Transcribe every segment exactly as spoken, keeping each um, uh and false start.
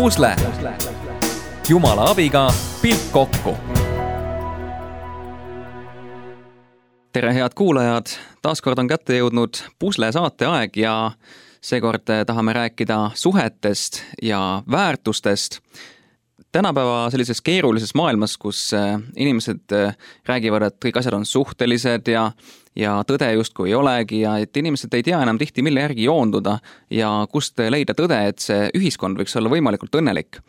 Pusle. Jumala abiga pilt kokku. Tere head kuulajad, taaskord on kätte jõudnud Pusle saate aeg ja seekord tahame rääkida suhetest ja väärtustest. Tänapäeva sellises keerulises maailmas, kus inimesed räägivad, et kõik asjad on suhtelised ja, ja tõde justkui ei olegi ja et inimesed ei tea enam tihti, mille järgi joonduda ja kust leida tõde, et see ühiskond võiks olla võimalikult õnnelik.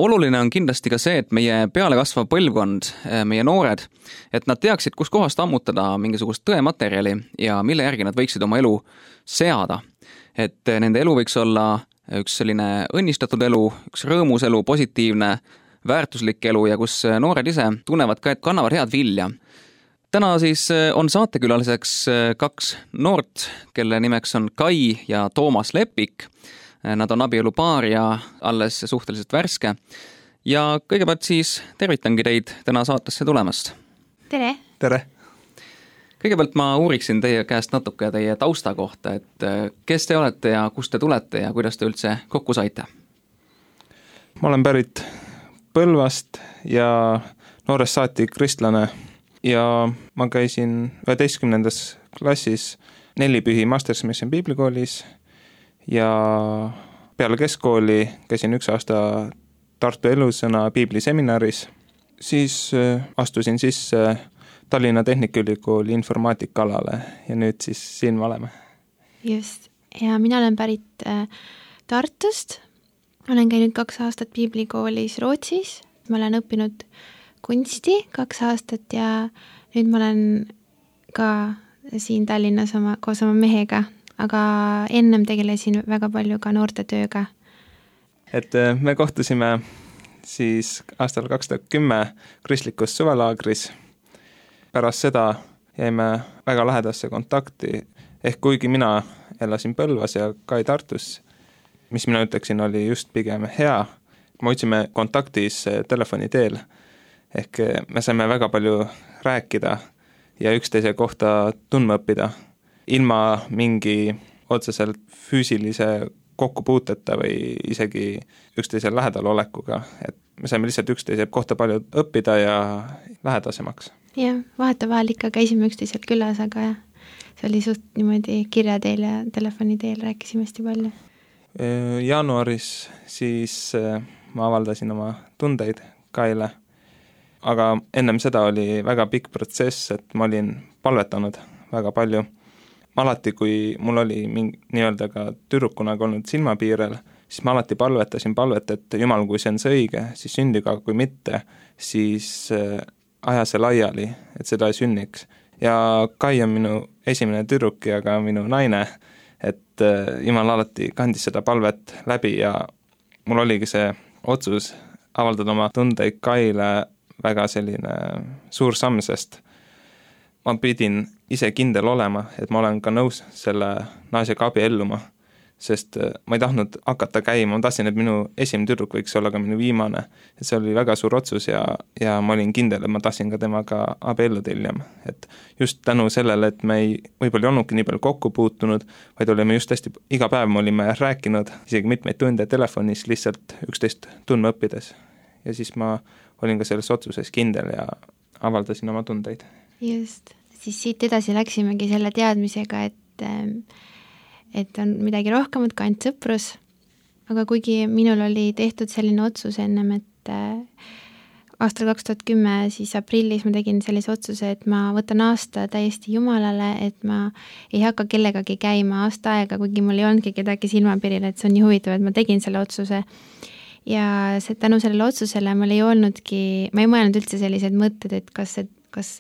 Oluline on kindlasti ka see, et meie peale kasvav põlvkond, meie noored, et nad teaksid, kus kohast ammutada mingisugust tõematerjali ja mille järgi nad võiksid oma elu seada. Et nende elu võiks olla üks selline õnnistatud elu, üks rõõmus elu, positiivne, väärtuslik elu ja kus noored ise tunnevad ka, et kannavad head vilja. Täna siis on saatekülaliseks kaks noort, kelle nimeks on Kai ja Toomas Lepik. Nad on abielupaar ja alles suhteliselt värske. Ja kõigepealt siis tervitangi teid täna saatesse tulemast. Tere! Tere! Kõigepealt ma uuriksin teie käest natuke teie tausta kohta, et kes te olete ja kust te tulete ja kuidas te üldse kokku saite? Ma olen pärit Põlvast ja noorest saati kristlane ja ma käisin üheteistkümnendas klassis nelipühi Masters Mission Piiblikoolis ja peale keskkooli käisin üks aasta Tartu Elusõna piibliseminaris, siis astusin sisse Tallinna Tehnikaülikooli informaatikalalale ja nüüd siis siin me oleme. Just, ja mina olen pärit äh, Tartust, olen käinud kaks aastat piiblikoolis Rootsis, ma olen õppinud kunsti kaks aastat ja nüüd ma olen ka siin Tallinnas oma, koos oma mehega, aga ennem tegelesin väga palju ka noorte tööga. Et me kohtusime siis aastal kaks tuhat kümme kristlikus suvelaagris. Pärast seda jäime väga lähedasse kontakti, ehk kuigi mina elasin Põlvas ja Kai Tartus, mis mina ütleksin oli just pigem hea, me otsime kontaktis telefoni teel, ehk me saime väga palju rääkida ja üksteise kohta tundma õppida, ilma mingi otseselt füüsilise kokkupuuteta või isegi üksteisel lähedal olekuga, et me saime lihtsalt üksteise kohta palju õppida ja lähedasemaks. Jah, vahet vahel ikka käisime üksteiselt külas, aga see oli suht niimoodi kirja teel ja telefoni teel rääkisime hästi palju. Jaanuaris siis ma avaldasin oma tundeid Kaile, aga ennem seda oli väga pikk protsess, et ma olin palvetanud väga palju. Alati, kui mul oli mingi, nii-öelda ka tüdrukuna olnud silmapiirel, siis ma alati palvetasin palvet, et Jumal, kui see on see õige, siis sündiga, kui mitte, siis aja see laiali, et seda ei sünniks. Ja Kai on minu esimene tüdruk ja ka minu naine, et Jumal alati kandis seda palvet läbi ja mul oligi see otsus avaldada oma tundeid Kaile väga selline suur samm, sest ma pidin ise kindel olema, et ma olen ka nõus selle naisega abielluma, sest ma ei tahtnud hakata käima, ma tahtsin, et minu esimene tüdruk võiks olla ka minu viimane. Et see oli väga suur otsus ja, ja ma olin kindel, et ma tahtsin ka temaga abielluda hiljem. Et just tänu sellele, et me ei, võib-olla ei olnudki nii palju kokku puutunud, vaid olime just hästi, iga päev me olime rääkinud, isegi mitmeid tunde telefonis lihtsalt üksteist tundma õppides. Ja siis ma olin ka selles otsuses kindel ja avaldasin oma tundeid. Just, siis siit edasi läksimegi selle teadmisega, et et on midagi rohkemat ka ainult sõprus, aga kuigi minul oli tehtud selline otsus ennem, et aastal kaks tuhat kümme siis aprillis ma tegin sellise otsuse, et ma võtan aasta täiesti Jumalale, et ma ei hakka kellegagi käima aasta aega, kuigi mul ei olnudki kedagi silmapiiril, et see on nii huvitav, et ma tegin selle otsuse. Ja see, tänu sellele otsusele mul ei olnudki, ma ei mõelnud üldse sellised mõtted, et kas see, kas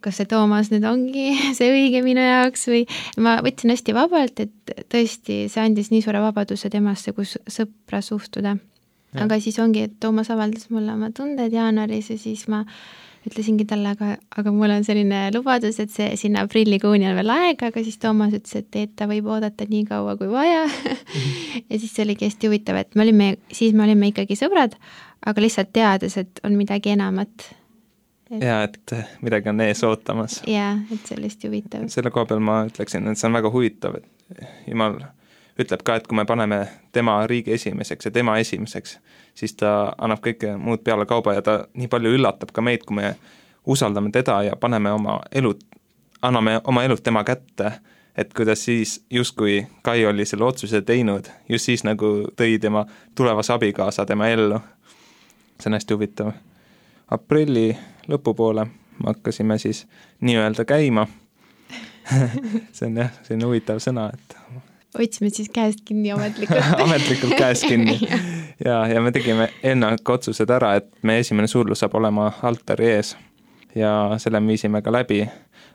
kas see Toomas nüüd ongi see õige minu jaoks või ma võtsin hästi vabalt, et tõesti see andis nii suure vabaduse temasse, kus sõpra suhtuda. Ja. Aga siis ongi, et Toomas avaldas mulle oma tunded jaanuaris ja siis ma ütlesingi talle, aga, aga mul on selline lubadus, et see sinna aprillikuuni on veel aega, aga siis Toomas ütles, et, et ta võib oodata nii kaua kui vaja. Mm-hmm. Ja siis see oligi hästi huvitav, et me olime, siis me olime ikkagi sõbrad, aga lihtsalt teades, et on midagi enamat. Et... Ja, et midagi on ees ootamas. Ja, et see oli hästi huvitav. Selle koha peal ma ütleksin, et see on väga huvitav, et Jumal ütleb ka, et kui me paneme tema riigi esimeseks ja tema esimeseks, siis ta annab kõike muud peale kauba ja ta nii palju üllatab ka meid, kui me usaldame teda ja paneme oma elud, anname oma elud tema kätte, et kuidas siis justkui Kai oli selle otsuse teinud, just siis nagu tõi tema tulevas abikaasa tema ellu. See on hästi huvitav. Aprilli lõpupoole me hakkasime siis nii-öelda käima. see on jah, see on huvitav sõna, et otsime siis käest kinni ametlikult. ametlikult käest kinni. ja, ja me tegime enne otsused ära, et me esimene suudlus saab olema altari ees ja selle me viisime ka läbi,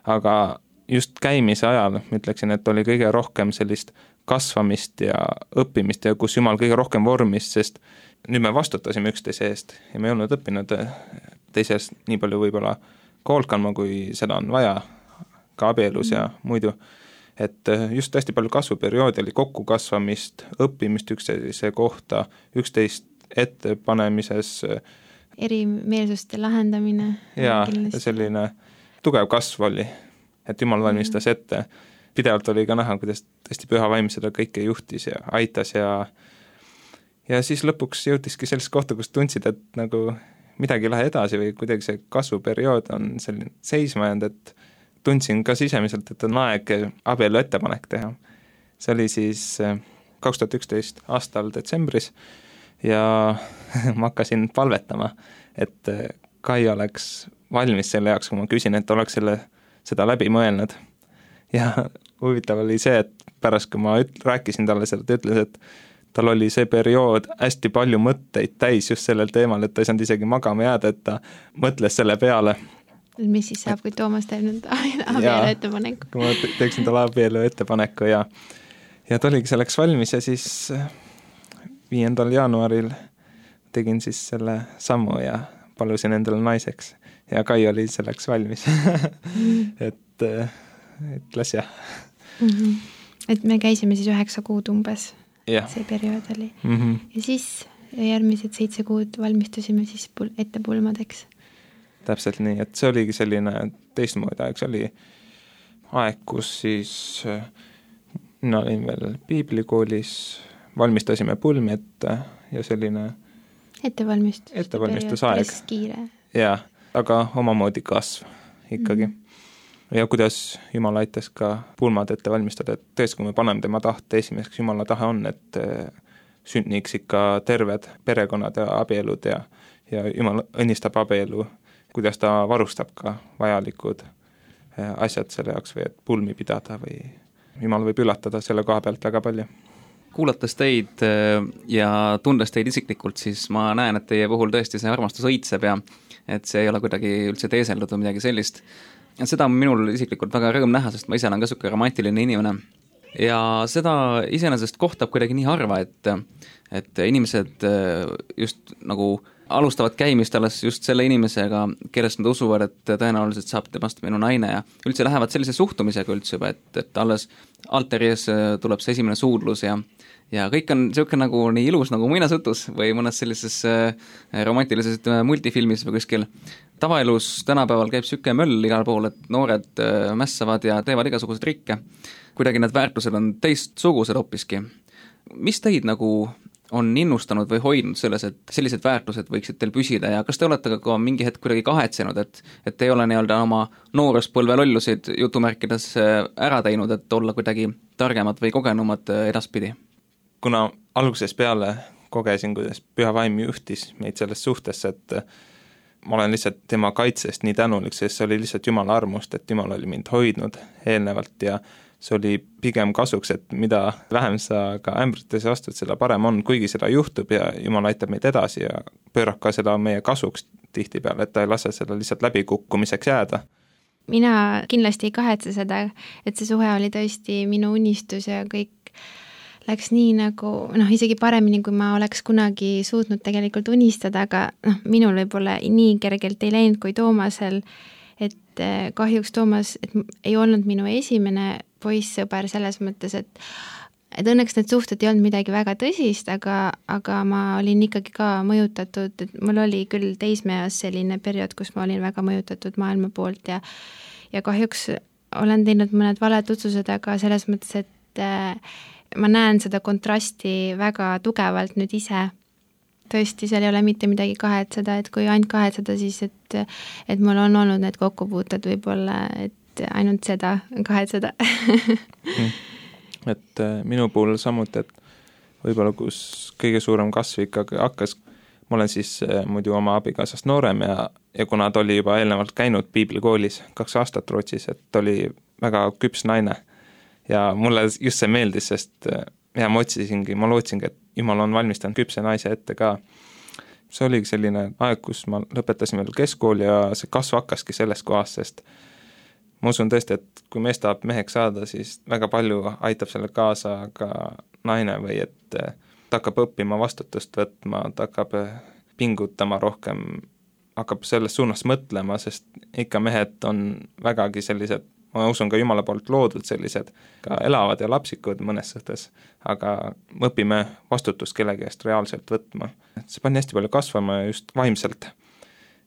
aga just käimise ajal ma ütleksin, et oli kõige rohkem sellist kasvamist ja õppimist ja kus Jumal kõige rohkem vormis, sest nüüd me vastutasime üksteise eest ja me ei olnud õppinud teises nii palju võib-olla koolt kandma, kui seda on vaja ka abielus ja muidu. Et just hästi palju kasvuperioodi oli kokkukasvamist, õppimist üksteise kohta, üksteist ettepanemises. Erimeelsuste lahendamine. Ja selline tugev kasv oli, et Jumal valmistas ette. Pidevalt oli ka näha, kuidas hästi püha vaim seda kõike juhtis ja aitas ja ja siis lõpuks jõutiski sellist kohta, kus tundsid, et nagu midagi ei lähe edasi või kuidagi see kasvuperiood on selline seisma jäänud, et tundsin ka sisemiselt, et on aeg abielu ettepanek teha. See oli siis kaks tuhat üksteist aastal detsembris ja ma hakkasin palvetama, et Kai oleks valmis selle jaoks, kui ma küsin, et oleks selle, seda läbi mõelnud. Ja huvitav oli see, et pärast, kui ma üt, rääkisin talle seda, ta ütles, et tal oli see periood hästi palju mõtteid täis just sellel teemal, et ta ei saanud isegi magama jääda, et ta mõtles selle peale. Mis siis saab, kui Toomas teeb nüüd abielu ettepaneku? Kui ma teeksin talle abielu ettepaneku ja, ja ta oligi selleks valmis ja siis viiendal jaanuaril tegin siis selle sammu ja palusin endale naiseks ja Kai oli selleks valmis. et, et las jah. Mm-hmm. Et me käisime siis üheksa kuud umbes. Ja. See periood oli. Mm-hmm. Ja siis järgmised seitse kuud valmistusime siis pul- ette pulmadeks. Täpselt nii, et see oligi selline teistmoodi aeg, see oli aeg, kus siis mina olin veel piiblikoolis, valmistasime pulmi ette ja selline ettevalmistus, ettevalmistusaeg. Päris kiire. Ja, aga omamoodi kasv ikkagi. Mm-hmm. Ja kuidas Jumal aitas ka pulmad ette valmistada, et tõesti, kui me paneme tema tahte esimeseks, Jumala tahe on, et sünniks ikka terved perekonnad ja abielud ja, ja Jumal õnnistab abielu, kuidas ta varustab ka vajalikud asjad selle jaoks või et pulmi pidada või Jumal võib üllatada selle koha pealt väga palju. Kuulates teid ja tundes teid isiklikult, siis ma näen, et teie puhul tõesti see armastus õitseb ja et see ei ole kuidagi üldse teeseldud või midagi sellist. Seda on minul isiklikult väga rõõm näha, sest ma ise olen ka suke romantiline inimene. Ja seda iseenesest kohtab kuidagi nii harva, et, et inimesed just nagu alustavad käimist alles just selle inimesega, kellest nad usuvad, et tõenäoliselt saab temast minu naine ja üldse lähevad sellise suhtumisega üldse juba, et, et alles altari ees tuleb see esimene suudlus ja, ja kõik on selline nagu nii ilus nagu muinasjutus või mõnes sellises romantilises multifilmis või kuskil. Tavaelus tänapäeval käib süke möll igal pool, et noored mässavad ja teevad igasuguseid trikke. Kuidagi need väärtused on teistsugused hoopiski. Mis teid nagu on innustanud või hoidnud selles, et sellised väärtused võiksid teil püsida ja kas te olete ka mingi hetk kuidagi kahetsenud, et, et te ei ole nii-öelda oma nooruspõlve lollusid jutumärkides ära teinud, et olla kuidagi targemad või kogenumad edaspidi? Kuna alguses peale kogesin, kuidas püha vaim juhtis meid selles suhtes, et ma olen lihtsalt tema kaitsest nii tänulik, sest see oli lihtsalt Jumala armust, et Jumal oli mind hoidnud eelnevalt ja see oli pigem kasuks, et mida vähem sa ka ämbritesse astud, seda parem on, kuigi seda juhtub ja Jumal aitab meid edasi ja pöörab ka seda meie kasuks tihti peale, et ta ei lase seda lihtsalt läbikukkumiseks jääda. Mina kindlasti ei kahetse seda, et see suhe oli tõesti minu unistus ja kõik läks nii nagu, noh, isegi paremini, kui ma oleks kunagi suutnud tegelikult unistada, aga noh, minul võib-olla nii kergelt ei läinud kui Toomasel, et kahjuks Toomas et ei olnud minu esimene poissõber selles mõttes, et, et õnneks need suhted ei olnud midagi väga tõsist, aga, aga ma olin ikkagi ka mõjutatud, et mul oli küll teismeas selline periood, kus ma olin väga mõjutatud maailma poolt ja, ja kahjuks olen teinud mõned valed otsused, aga selles mõttes, et et ma näen seda kontrasti väga tugevalt nüüd ise. Tõesti, seal ei ole mitte midagi kahetseda, et kui ainult kahetseda, siis et, et mul on olnud need kokkupuuted võib-olla, et ainult seda kahetseda. et minu puhul samuti, et võib-olla kus kõige suurem kasv ikkagi hakkas, ma olen siis muidu oma abikaasast noorem ja, ja kuna ta oli juba eelnevalt käinud piiblikoolis kaks aastat Rootsis, et ta oli väga küps naine ja mulle just see meeldis, sest ja ma otsisingi, ma lootsingi, et Jumal on valmistanud küpse naise ette ka. See oligi selline aeg, kus ma lõpetasin veel keskkooli ja see kasv hakkaski sellest kohast, sest ma usun tõesti, et kui mees tahab meheks saada, siis väga palju aitab selle kaasa ka naine või et ta hakkab õppima vastutust võtma, ta hakkab pingutama rohkem, hakkab selles suunas mõtlema, sest ikka mehed on vägagi sellised, ma usun ka Jumala poolt loodud sellised, ka elavad ja lapsikud mõnes suhtes, aga me õpime vastutust kellegi eest reaalselt võtma. See pani hästi palju kasvama just vaimselt.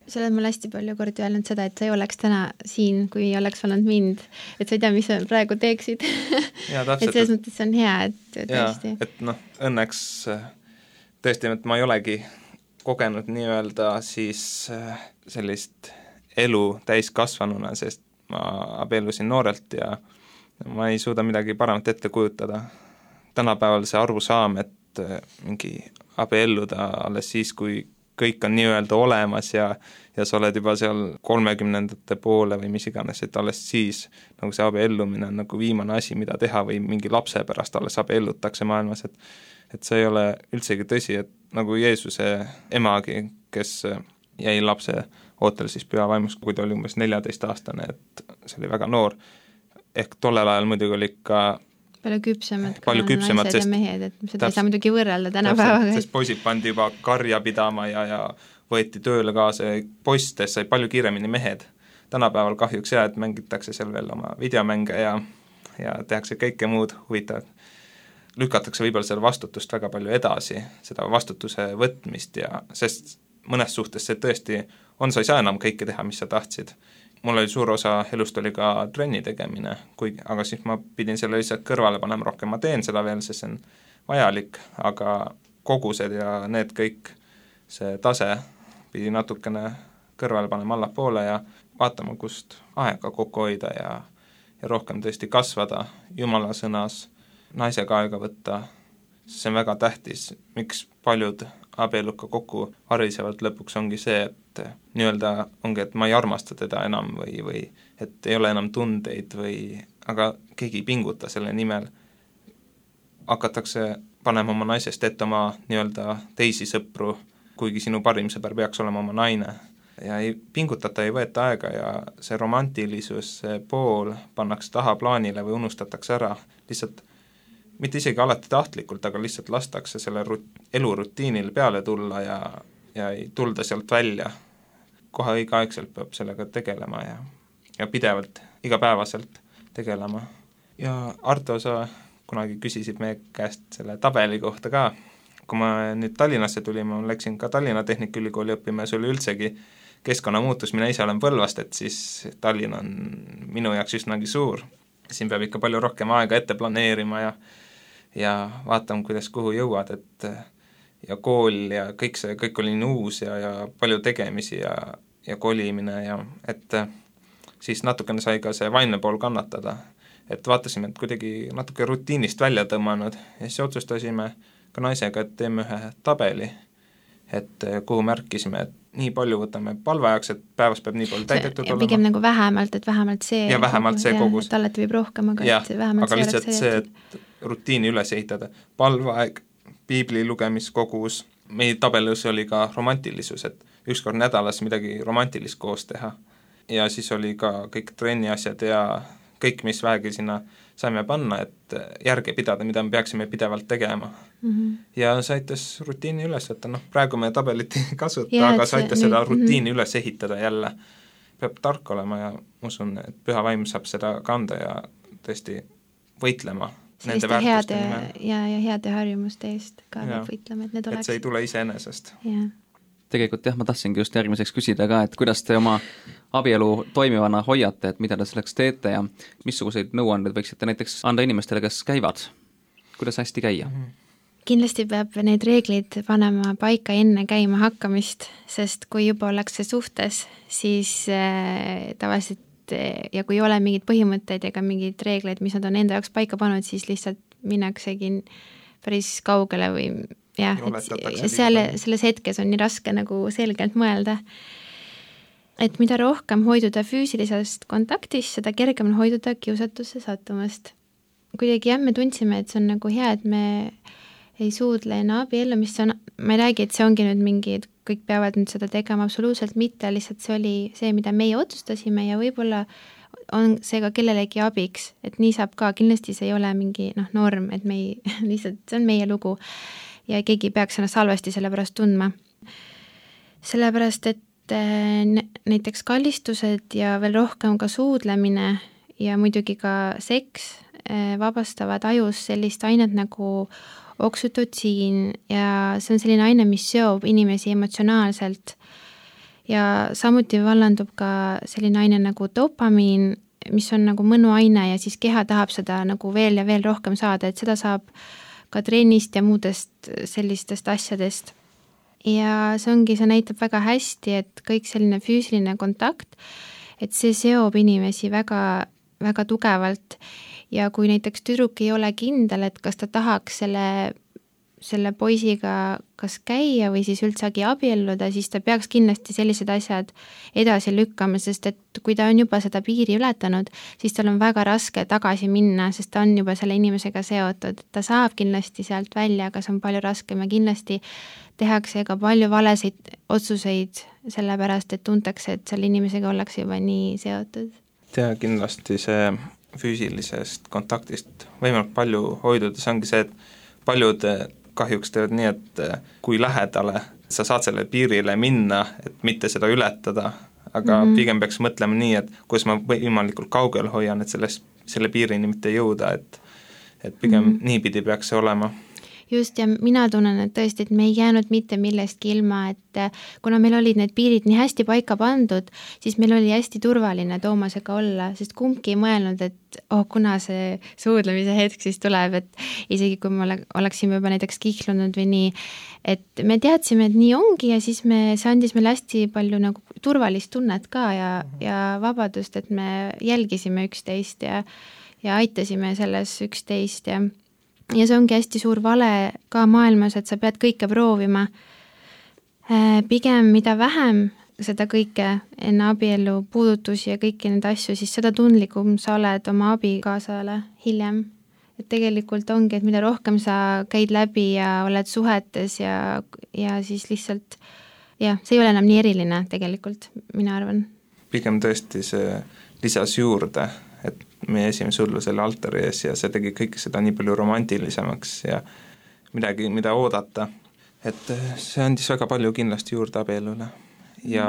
Sa oled mulle hästi palju kordi öelnud seda, et sa ei oleks täna siin, kui ei oleks olnud mind, et sa ei tea, mis sa praegu teeksid. Ja, täpselt, et selles mõttes on hea, et tõesti. Ja, et noh, õnneks tõesti, et ma ei olegi kogenud nii-öelda siis sellist elu täiskasvanuna, sest ma abiellusin noorelt ja ma ei suuda midagi paremat ette kujutada. Tänapäeval see arusaam, et mingi abielluda alles siis, kui kõik on nii-öelda olemas ja, ja sa oled juba seal kolmekümnendate poole või mis iganes, et alles siis nagu see abiellumine on nagu viimane asi, mida teha või mingi lapse pärast alles abiellutakse maailmas, et, et see ei ole üldsegi tõsi, et nagu Jeesuse emagi, kes jäi lapse ootel siis püha vaimus, kui ta oli umbes neljateist aastane, et see oli väga noor, ehk tollel ajal muidugi oli ka palju küpsemad, palju küpsemad, naised sest, ja mehed, et seda täpselt, ei saa muidugi võrrelda tänapäevaga. Sest poisid pandi juba karja pidama ja, ja võeti tööle kaasa, poistes sai palju kiiremini mehed. Tänapäeval kahjuks jah, et mängitakse seal veel oma videomänge ja, ja tehakse kõike muud huvitavat. Lükatakse võib-olla selle vastutust väga palju edasi, seda vastutuse võtmist ja sest mõnes suhtes see tõesti on, sa ei saa enam kõike teha, mis sa tahtsid. Mul oli suur osa elust oli ka trenni tegemine, kui, aga siis ma pidin selle lihtsalt kõrvale panema rohkem, ma teen seda veel, sest see on vajalik, aga kogused ja need kõik, see tase pidi natukene kõrvale panema allapoole ja vaatama, kust aega kokku hoida ja, ja rohkem tõesti kasvada Jumala sõnas, naisega aega võtta, see on väga tähtis, miks paljud abielud ka kokku harisevalt lõpuks ongi see, et nii-öelda ongi, et ma ei armasta teda enam või, või et ei ole enam tundeid või, aga keegi ei pinguta selle nimel. Hakatakse panema oma naisest ette oma nii-öelda teisi sõpru, kuigi sinu parim sõber peaks olema oma naine. Ja ei pingutata, ei võeta aega ja see romantilisus, see pool pannakse taha plaanile või unustatakse ära, lihtsalt mitte isegi alati tahtlikult, aga lihtsalt lastakse selle rut- elurutiinil peale tulla ja, ja ei tulda sealt välja. Kohe õigeaegselt peab sellega tegelema ja, ja pidevalt, igapäevaselt tegelema. Ja Arto, sa kunagi küsisid meie käest selle tabeli kohta ka. Kui ma nüüd Tallinnasse tulin, ma läksin ka Tallinna Tehnikaülikooli õppima ja see oli üldsegi keskkonnamuutus, mina ise olen Põlvast, et siis Tallinn on minu jaoks üsnagi suur. Siin peab ikka palju rohkem aega ette planeerima ja ja vaatame, kuidas kuhu jõuad, et ja kool ja kõik see, kõik oli nii uus ja, ja palju tegemisi ja, ja kolimine ja et siis natukene sai ka see vaimne pool kannatada, et vaatasime, et kuidagi natuke rutiinist välja tõmmanud ja siis otsustasime ka naisega, et teeme ühe tabeli, et kuhu märkisime, et nii palju võtame palveajaks, et päevas peab nii palju täidetud ja olema. Pigem nagu vähemalt, et vähemalt see ja vähemalt see kogus. Et alati võib rohkem, aga ja, et vähemalt aga see lihtsalt oleks see, et rutiini üles ehitada. Palveaeg, piibli lugemiskogus, meie tabelus oli ka romantilisus, et ükskord nädalas midagi romantilist koos teha. Ja siis oli ka kõik trenni asjad ja kõik, mis vähegi sinna saime panna, et järge pidada, mida me peaksime pidevalt tegema. Mm-hmm. Ja see aitas rutiini üles võtta, noh, praegu me tabelit ei kasuta, ja, aga see aitas seda rutiini mm-hmm. üles ehitada jälle. Peab tark olema ja usun, et püha vaim saab seda kanda ja tõesti võitlema nende väärtuste nimel. Ja, ja heade harjumuste eest ka peab võitlema, et need oleks. Et see ei tule iseenesest. Ja. tegelikult jah, ma tahtsingi just järgmiseks küsida ka, et kuidas te oma abielu toimivana hoiate, et mida te selleks teete ja missuguseid nõuandeid võiksite näiteks anda inimestele, kes käivad? Kuidas hästi käia? Kindlasti peab neid reegleid panema paika enne käima hakkamist, sest kui juba ollakse suhtes, siis äh, tavaliselt äh, ja kui ei ole mingeid põhimõtteid ega mingeid reegleid, mis nad on enda jaoks paika pannud, siis lihtsalt minnaksegi päris kaugele või jah, et seal, selles hetkes on nii raske nagu selgelt mõelda. Et mida rohkem hoiduda füüsilisest kontaktist, seda kergem on hoiduda kiusatusse sattumast. Kuidagi jah, me tundsime, et see on nagu hea, et me ei suudle enne abiellu, mis on, ma ei räägi, et see ongi nüüd mingi, et kõik peavad nüüd seda tegema, absoluutselt mitte, lihtsalt see oli see, mida meie otsustasime ja võib-olla on see ka kellelegi abiks, et nii saab ka, kindlasti see ei ole mingi noh, norm, et me ei, lihtsalt see on meie lugu ja keegi ei peaks ennast halvasti selle pärast tundma. Sellepärast, et näiteks kallistused ja veel rohkem ka suudlemine ja muidugi ka seks vabastavad ajus sellist ainet nagu oksütotsiin ja see on selline aine, mis seob inimesi emotsionaalselt ja samuti vallandub ka selline aine nagu dopamiin, mis on nagu mõnuaine ja siis keha tahab seda nagu veel ja veel rohkem saada, et seda saab ka trennist ja muudest sellistest asjadest. Ja see ongi, see näitab väga hästi, et kõik selline füüsiline kontakt, et see seob inimesi väga, väga tugevalt. Ja kui näiteks tüdruk ei ole kindel, et kas ta tahaks selle, selle poisiga kas käia või siis üldsegi abielluda, siis ta peaks kindlasti sellised asjad edasi lükkama, sest et kui ta on juba seda piiri ületanud, siis tal on väga raske tagasi minna, sest ta on juba selle inimesega seotud. Ta saab kindlasti sealt välja, aga see on palju raskem ja kindlasti tehakse ka palju valesid otsuseid sellepärast, et tuntakse, et selle inimesega ollakse juba nii seotud. Ja kindlasti see füüsilisest kontaktist võimalik palju hoiduda, see ongi see, et paljud kahjuks teevad nii, et kui lähedale sa saad selle piirile minna, et mitte seda ületada, aga mm-hmm. pigem peaks mõtlema nii, et kuidas ma võimalikult kaugel hoian, et sellest, selle piirini mitte jõuda, et, et pigem mm-hmm. niipidi peaks see olema. Just, ja mina tunnen, et tõesti, et me ei jäänud mitte millestki ilma, et kuna meil olid need piirid nii hästi paika pandud, siis meil oli hästi turvaline Toomasega olla, sest kumbki ei mõelnud, et oh, kuna see suudlemise hetk siis tuleb, et isegi kui me oleksime juba näiteks kihlunud või nii, et me teadsime, et nii ongi ja siis me, see andis meile hästi palju nagu turvalist tunnet ka ja, ja vabadust, et me jälgisime üksteist ja, ja aitasime selles üksteist ja ja see ongi hästi suur vale ka maailmas, et sa pead kõike proovima. Pigem mida vähem seda kõike enne abielu puudutusi ja kõiki neid asju, siis seda tundlikum sa oled oma abikaasale hiljem. Et tegelikult ongi, et mida rohkem sa käid läbi ja oled suhetes ja, ja siis lihtsalt, jah, see ei ole enam nii eriline tegelikult, mina arvan. Pigem tõesti see lisas juurde, et meie esimene sullu selle altari ees ja see tegi kõik seda nii palju romantilisemaks ja midagi, mida oodata. Et see andis väga palju kindlasti juurde abielule ja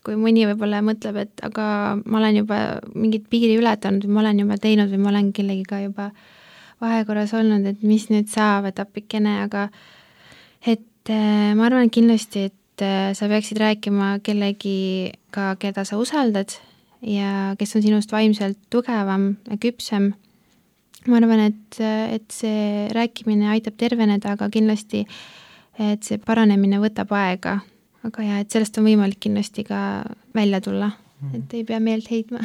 kui mõni võib-olla mõtleb, et aga ma olen juba mingit piiri ületanud või ma olen juba teinud või ma olen kellegiga juba vahekorras olnud, et mis nüüd saab, et appikene, aga et ma arvan kindlasti, et sa peaksid rääkima kellegiga, keda sa usaldad ja kes on sinust vaimselt tugevam ja küpsem. Ma arvan, et, et see rääkimine aitab terveneda, aga kindlasti, et see paranemine võtab aega. Aga jah, et sellest on võimalik kindlasti ka välja tulla, et ei pea meelt heidma.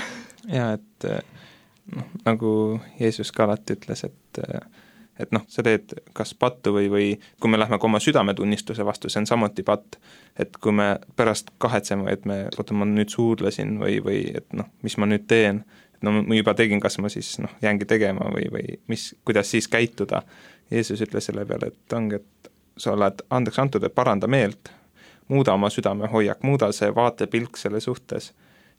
Ja, et noh, nagu Jeesus ka alati ütles, et et noh, sa teed kas pattu või, või kui me lähme oma südametunnistuse vastu, see on samuti patt, et kui me pärast kahetseme, et me, oota, ma nüüd suudlesin või, või et noh, mis ma nüüd teen, et no ma juba tegin, kas ma siis noh, jäängi tegema või, või mis, kuidas siis käituda. Jeesus ütles selle peale, et ongi, et sa oled andeks antud, et paranda meelt, muuda oma südame hoiak, muuda see vaatepilk selle suhtes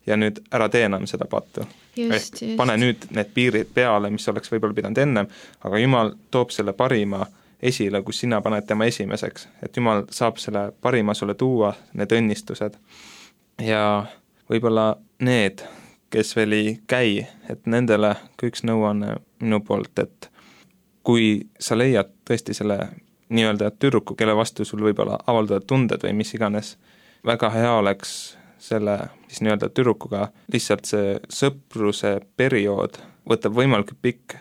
ja nüüd ära tee enam seda pattu. Just, just. Pane nüüd need piirid peale, mis oleks võib-olla pidanud ennem, aga Jumal toob selle parima esile, kus sina paned tema esimeseks, et Jumal saab selle parima sulle tuua, need õnnistused. Ja võib-olla need, kes veel ei käi, et nendele ka üks nõuanne minu poolt, et kui sa leiad tõesti selle nii-öelda tüdruku, kelle vastu sul võib-olla avaldada tunded või mis iganes, väga hea oleks selle siis nii-öelda tüdrukuga lihtsalt see sõpruse periood võtab võimalikult pikk,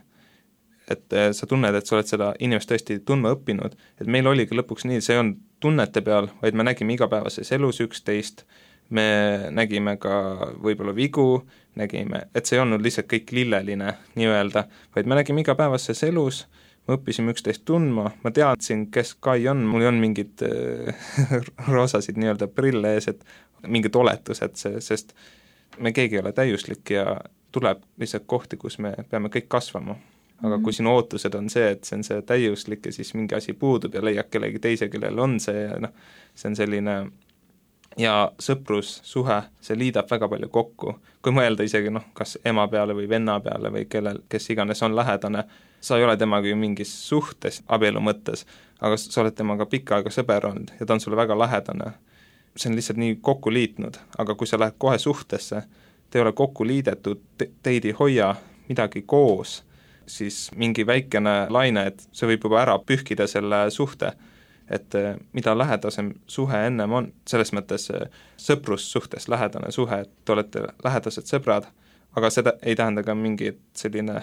et sa tunned, et sa oled seda inimest tõesti tundma õppinud, et meil oligi lõpuks nii, see on tunnete peal, vaid me nägime igapäevases elus üksteist, me nägime ka võib-olla vigu, nägime, et see ei olnud lihtsalt kõik lilleline nii-öelda, vaid me nägime igapäevases elus, me õppisime üksteist tundma, ma teadsin, kes Kai on, mul ei olnud mingid roosasid nii-öelda prille ees, et mingid oletused, see, sest me keegi ei ole täiuslik ja tuleb lihtsalt kohti, kus me peame kõik kasvama. Aga kui sinu ootused on see, et see on see täiuslik ja siis mingi asi puudub ja leiad kellegi teise, kellel on see ja noh, see on selline ja sõprussuhe, see liidab väga palju kokku. Kui mõelda isegi noh, kas ema peale või venna peale või kellel, kes iganes on lähedane, sa ei ole temaga ju mingis suhtes abielu mõttes, aga sa oled temaga pikka aega sõber olnud ja ta on sulle väga lähedane. See on lihtsalt nii kokku liitnud, aga kui sa lähed kohe suhtesse, te ei ole kokku liidetud, te, teid ei hoia midagi koos, siis mingi väikene laine, et see võib juba ära pühkida selle suhte, et mida lähedasem suhe ennem on, selles mõttes sõprussuhtes lähedane suhe, et te olete lähedased sõbrad, aga seda ei tähenda ka mingi selline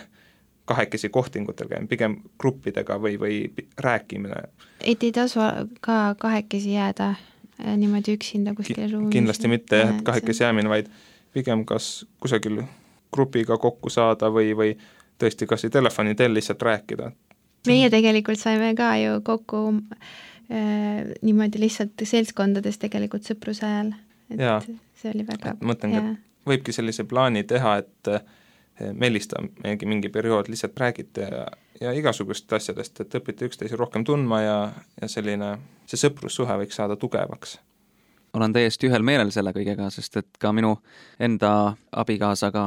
kahekesi kohtingutel käim, pigem gruppidega või, või rääkimine. Et ei tasu ka kahekesi jääda niimoodi üksinda kuskil ruumis? Kindlasti mitte, et kahekesi jäämine, vaid pigem kas kusagil grupiga kokku saada või, või tõesti kas ei telefoni teel lihtsalt rääkida. Meie tegelikult saime ka ju kokku äh, niimoodi lihtsalt seltskondades tegelikult sõpruse ajal, et ja. See oli väga mõtlen, et võibki sellise plaani teha, et Mellista mingi, mingi periood lihtsalt räägite ja, ja igasugust asjadest, et õpite üksteise rohkem tundma ja, ja selline, see sõprussuhe võiks saada tugevaks. Olen täiesti ühel meelel selle kõigega, sest et ka minu enda abikaasaga,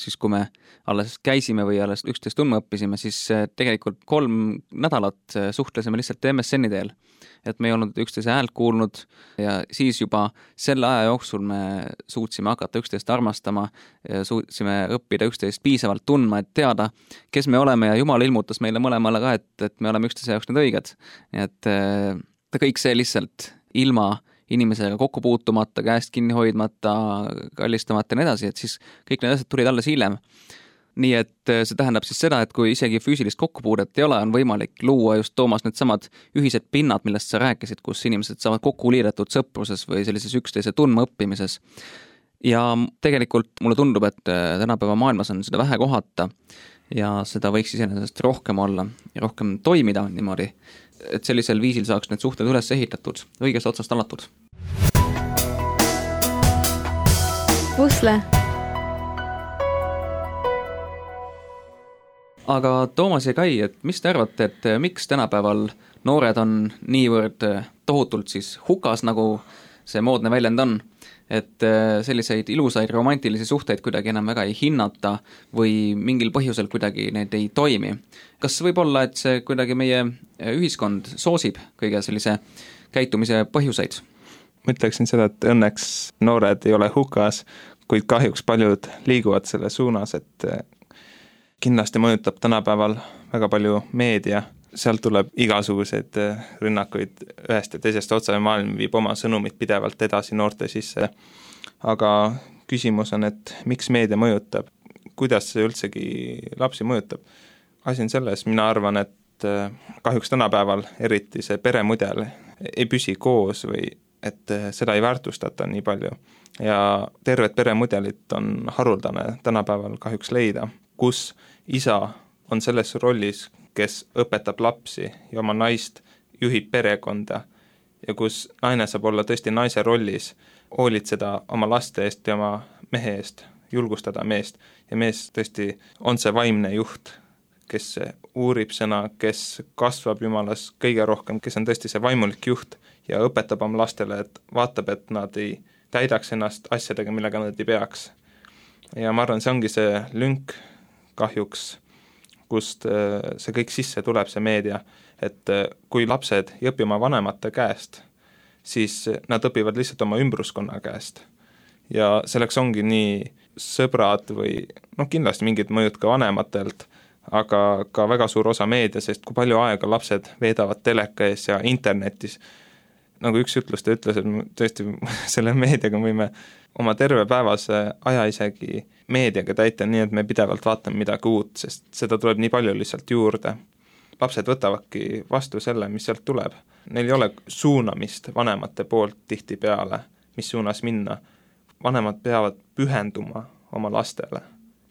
siis kui me alles käisime või alles üksteist tundma õppisime, siis tegelikult kolm nädalat suhtlesime lihtsalt M S N-i teel. Et me ei olnud üksteise häält kuulnud ja siis juba selle aja jooksul me suutsime hakata üksteist armastama ja suutsime õppida üksteist piisavalt tundma, et teada, kes me oleme ja Jumal ilmutas meile mõlemale ka, et, et me oleme üksteise jaoks need õiged. Et ta kõik see lihtsalt ilma inimesega kokku puutumata, käest kinni hoidmata, kallistamata ja nii edasi, et siis kõik need asjad tulid alles hiljem. Nii et see tähendab siis seda, et kui isegi füüsilist kokkupuudet ei ole, on võimalik luua just Toomas need samad ühised pinnad, millest sa rääkisid, kus inimesed saavad kokku liidetud sõpruses või sellises üksteise tundma õppimises. Ja tegelikult mulle tundub, et tänapäeva maailmas on seda vähe kohata ja seda võiks iseenesest rohkem olla ja rohkem toimida niimoodi, et sellisel viisil saaks need suhted üles ehitatud, õigest otsast alatud. Pusle. Aga Toomas ja Kai, et mis te arvate, et miks tänapäeval noored on niivõrd tohutult siis hukas, nagu see moodne väljend on, et selliseid ilusaid romantilisi suhteid kuidagi enam väga ei hinnata või mingil põhjusel kuidagi need ei toimi. Kas võib olla, et see kuidagi meie ühiskond soosib kõige sellise käitumise põhjuseid? Ma ütleksin seda, et õnneks noored ei ole hukas, kuid kahjuks paljud liiguvad selle suunas, et kindlasti mõjutab tänapäeval väga palju meedia, sealt tuleb igasuguseid rünnakuid ühest ja teisest otsa ja maailm viib oma sõnumid pidevalt edasi noorte sisse. Aga küsimus on, et miks meedia mõjutab, kuidas see üldsegi lapsi mõjutab. Asi on selles, mina arvan, et kahjuks tänapäeval eriti see peremudel ei püsi koos või et seda ei väärtustata nii palju. Ja tervet peremudelit on haruldane tänapäeval kahjuks leida, kus isa on selles rollis, kes õpetab lapsi ja oma naist juhib perekonda ja kus naine saab olla tõesti naise rollis, hoolitseda oma laste eest ja oma mehe eest, julgustada meest ja mees tõesti on see vaimne juht, kes uurib sõna, kes kasvab Jumalas kõige rohkem, kes on tõesti see vaimulik juht ja õpetab oma lastele, et vaatab, et nad ei täidaks ennast asjadega, millega nad ei peaks. Ja ma arvan, see ongi see lünk kahjuks, kust see kõik sisse tuleb, see meedia, et kui lapsed ei õpi oma vanemate käest, siis nad õpivad lihtsalt oma ümbruskonna käest. Ja selleks ongi nii sõbrad või noh, kindlasti mingid mõjud ka vanematelt, aga ka väga suur osa meedia, sest kui palju aega lapsed veedavad teleka ees ja internetis. Nagu üks ütlus, ta ütles, et tõesti selle meediaga võime oma terve päevase aja isegi meediaga täita, nii et me pidevalt vaatame midagi uut, sest seda tuleb nii palju lihtsalt juurde. Lapsed võtavadki vastu selle, mis sealt tuleb. Neil ei ole suunamist vanemate poolt tihti peale, mis suunas minna. Vanemad peavad pühenduma oma lastele.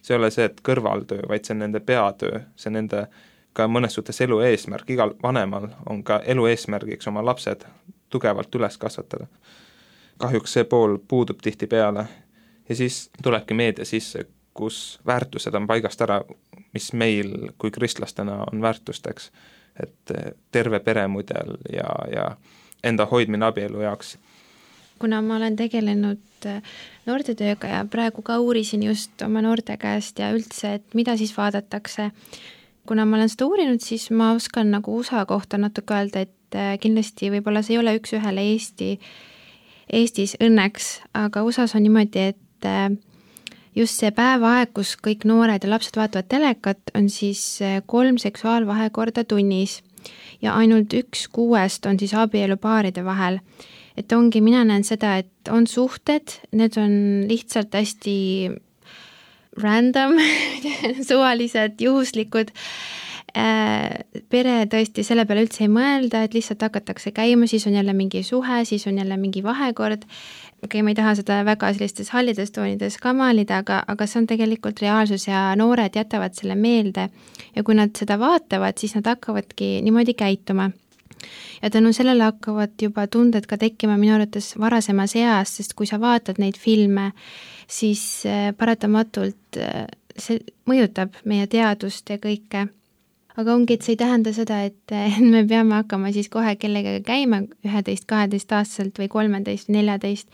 See ei ole see, et kõrvaltöö, vaid see on nende peatöö, see on nende ka mõnes suhtes elu eesmärk. Igal vanemal on ka elu eesmärgiks oma lapsed tugevalt üles kasvatada. Kahjuks see pool puudub tihti peale ja siis tulebki meedia sisse, kus väärtused on paigast ära, mis meil kui kristlastena on väärtusteks, et terve peremudel ja, ja enda hoidmine abielu jaoks. Kuna ma olen tegelenud noortetööga ja praegu ka uurisin just oma noorte käest ja üldse, et mida siis vaadatakse. Kuna ma olen seda uurinud, siis ma oskan nagu U S A kohta natuke öelda, et kindlasti võib-olla see ei ole üks ühele Eesti, Eestis õnneks, aga U S A-s on niimoodi, et just see päevaaeg, kus kõik noored ja lapsed vaatavad telekat, on siis kolm seksuaalvahekorda tunnis ja ainult üks kuuest on siis abielupaaride vahel. Et ongi, mina näen seda, et on suhted, need on lihtsalt hästi random, suvalised, juhuslikud. Pere tõesti selle peale üldse ei mõelda, et lihtsalt hakatakse käima, siis on jälle mingi suhe, siis on jälle mingi vahekord. Okei, ma ei taha seda väga sellistes hallides toonides ka maalida, aga, aga see on tegelikult reaalsus ja noored jätavad selle meelde. Ja kui nad seda vaatavad, siis nad hakkavadki niimoodi käituma. Ja tänu sellele hakkavad juba tunded ka tekkima minu arvates varasemas eas, sest kui sa vaatad neid filme, siis paratamatult see mõjutab meie teadust ja kõike. Aga ongi, et see ei tähenda seda, et me peame hakkama siis kohe kellega käima üheteist, kaheteist aastaselt või kolmeteist, neljateist.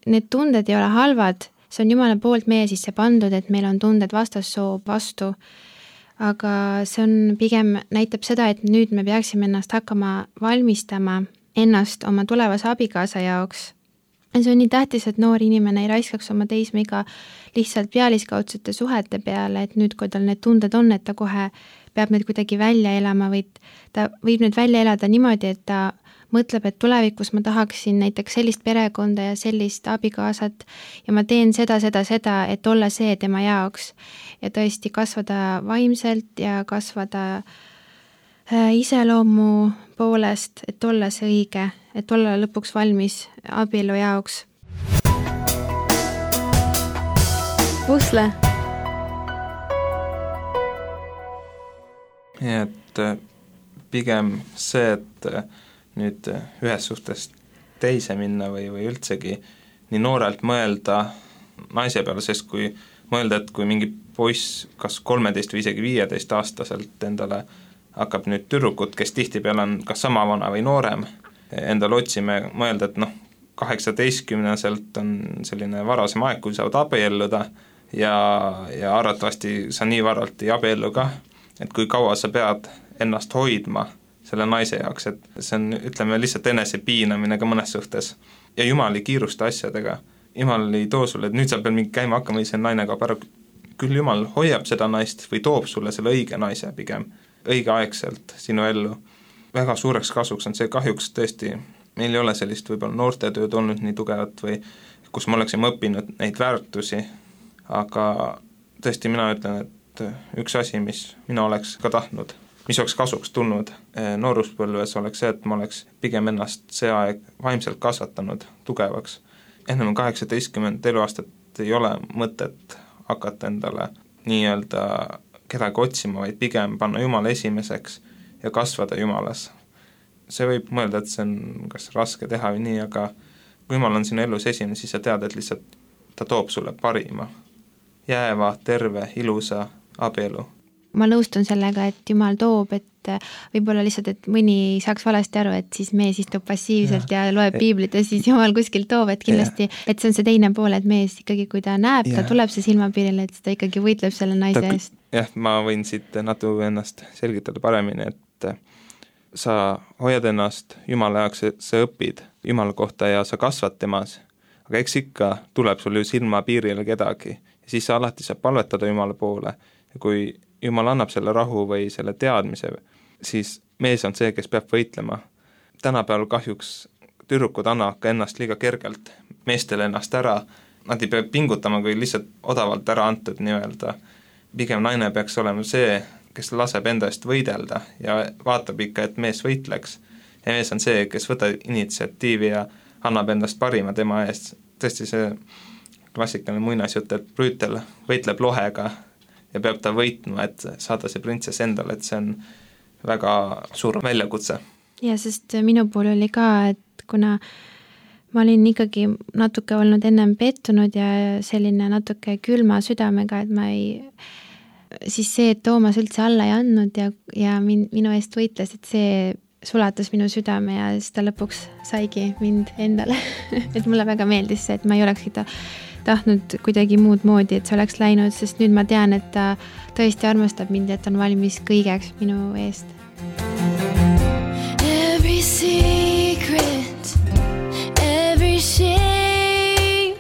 Need tunded ei ole halvad, see on Jumala poolt meie sisse pandud, et meil on tunded vastassoo vastu. Aga see on pigem näitab seda, et nüüd me peaksime ennast hakkama valmistama ennast oma tulevase abikaasa jaoks. See on nii tähtis, et noor inimene ei raiskaks oma teismeiga lihtsalt pealiskaudsete suhete peale, et nüüd, kui tal need tunded on, et ta kohe peab need kuidagi välja elama, või ta võib need välja elada niimoodi, et ta mõtleb, et tulevikus ma tahaksin näiteks sellist perekonda ja sellist abikaasat ja ma teen seda, seda, seda, et olla see tema jaoks ja tõesti kasvada vaimselt ja kasvada iseloomu poolest, et olla see õige, et olla lõpuks valmis abielu jaoks. Pusle. Ja et pigem see, et nüüd ühes suhtes teise minna või, või üldsegi nii noorelt mõelda naise peale, sest kui mõelda, et kui mingi poiss kas kolmeteist või isegi viieteist aastaselt endale hakkab nüüd tüdrukut, kes tihtipeale on kas sama vana või noorem, endale otsime mõelda, et noh, kaheksateistkümneselt on selline varasem aeg, kui saavad abielluda ja, ja arvatavasti sa nii varalt ei abiellu ka, et kui kaua sa pead ennast hoidma selle naise jaoks, et see on, ütleme, lihtsalt enese piinamine ka mõnes suhtes. Ja Jumal ei kiirusta asjadega. Jumal ei too sulle, et nüüd sa pead mingi käima hakkama, või see naine kaob ära. Küll Jumal hoiab seda naist või toob sulle selle õige naise pigem, õigeaegselt sinu ellu. Väga suureks kasuks on see kahjuks tõesti, meil ei ole sellist võib-olla noortetööd olnud nii tugevat või kus me oleksime õppinud neid väärtusi, aga tõesti mina ütlen, et üks asi, mis mina oleks ka tahtnud, mis oleks kasuks tulnud nooruspõlves, oleks see, et ma oleks pigem ennast see aeg vaimselt kasvatanud tugevaks. Ennem kaheksateistkümmend eluaastat ei ole mõtet hakata endale nii-öelda kedagi otsima, vaid pigem panna Jumala esimeseks ja kasvada Jumalas. See võib mõelda, et see on kas raske teha või nii, aga kui Jumal on sinu elus esimene, siis sa tead, et lihtsalt ta toob sulle parima, jääva, terve, ilusa abielu. Ma nõustun sellega, et Jumal toob, et võib-olla lihtsalt, et mõni saaks valesti aru, et siis mees istub passiivselt ja, ja loeb piiblit ja siis Jumal kuskil toob, et kindlasti, ja. Et see on see teine pool, et mees ikkagi, kui ta näeb, ja. Ta tuleb see silmapiirile, et ta ikkagi võitleb selle naise ta, eest. Jah, ma võin siit natuke ennast selgitada paremini, et sa hoiad ennast Jumala jaoks, sa õpid Jumala kohta ja sa kasvad temas, aga eks ikka tuleb sul ju silma piirile kedagi ja siis sa alati saab palvetada Jumala poole ja kui Jumal annab selle rahu või selle teadmise, siis mees on see, kes peab võitlema. Tänapäeval kahjuks tüdrukud annavad ka ennast liiga kergelt meestele ennast ära, nad ei pea pingutama, kui lihtsalt odavalt ära antud nii-öelda. Pigem naine peaks olema see, kes laseb enda eest võidelda ja vaatab ikka, et mees võitleks. Ja mees on see, kes võtab initsiatiivi ja annab endast parima tema eest. Tõesti see klassikaline muinasjutt, et Brüütel võitleb lohega ja peab ta võitma, et saada see printsess endale, et see on väga suur väljakutse. Ja sest minu pool oli ka, et kuna ma olin ikkagi natuke olnud ennem pettunud ja selline natuke külma südamega, et ma ei, siis see, et Toomas üldse alla ei andnud ja, ja min, minu eest võitles, et see sulatas minu südame ja siis ta lõpuks saigi mind endale. Et mulle väga meeldis see, et ma ei olekski ta tahtnud kuidagi muud moodi, et see oleks läinud, sest nüüd ma tean, et ta tõesti armastab mind, et on valmis kõigeks minu eest. Every secret, every shame,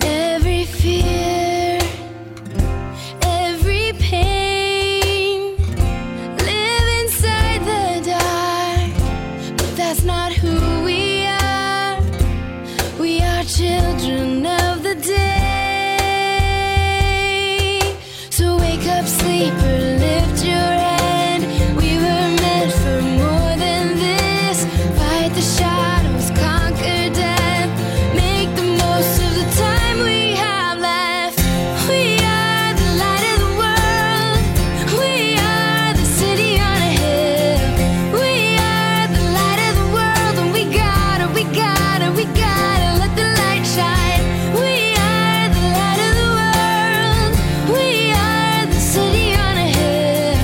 every fear, every pain, live inside the dark, but that's not who we are. We are children of the day. So wake up, sleeper, lift your head. We were meant for more than this. Fight the shadows, conquer death. Make the most of the time we have left. We are the light of the world. We are the city on a hill. We are the light of the world, and we gotta, we gotta, we gotta let the light shine. We are the light of the world. We are the city on a hill.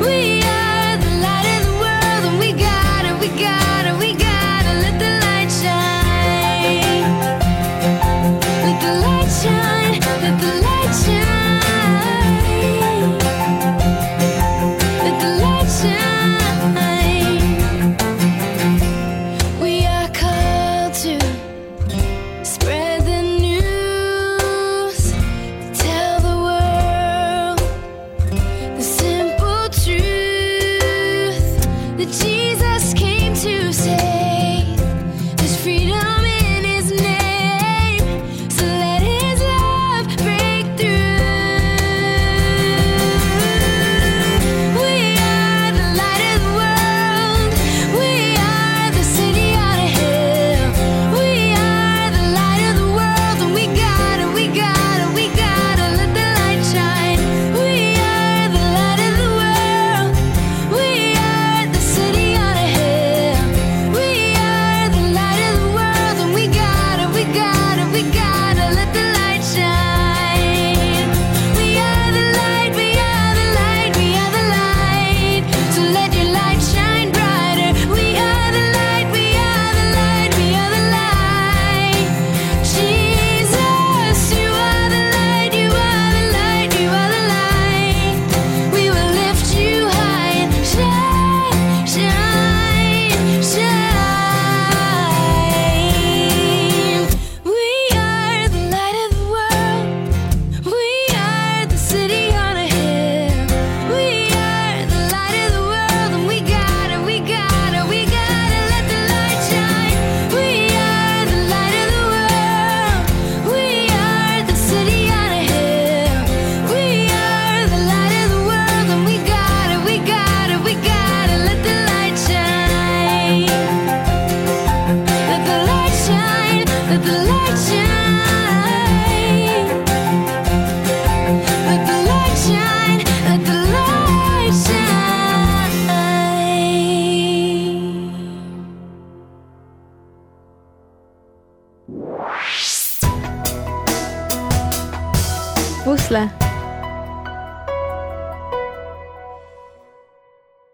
We are the light of the world, and we gotta, we gotta, we gotta let the light shine. Let the light shine, let the light shine. Let the light shine. We are called to spread the news, tell the world the simple truth that Jesus came to save. There's freedom in his name, so let his love break through. We are the light of the world. We are the city on a hill. We are the light of the world, and we gotta, we gotta, we gotta let the light shine. We are the light of the world. We are the city on a hill. We are the light of the world, and we gotta, we gotta, we gotta let the light shine. We are the light, we are the light, we are the light. So let your light shine brighter. We are the light, we are the light, we are the light. Jesus, you are the light, you are the light, you are the light. We will lift you high and shine, shine, shine. We are the light of the world. We are the city on a hill. We are the light of the world, and we gotta, we gotta, we gotta let the light shine. We are the light of the world. We are the city on a hill. We are the light of the world, and we gotta, we gotta, we gotta let the light shine. Let the light shine, let the light shine. Let the light shine, let the light shine. Pusle.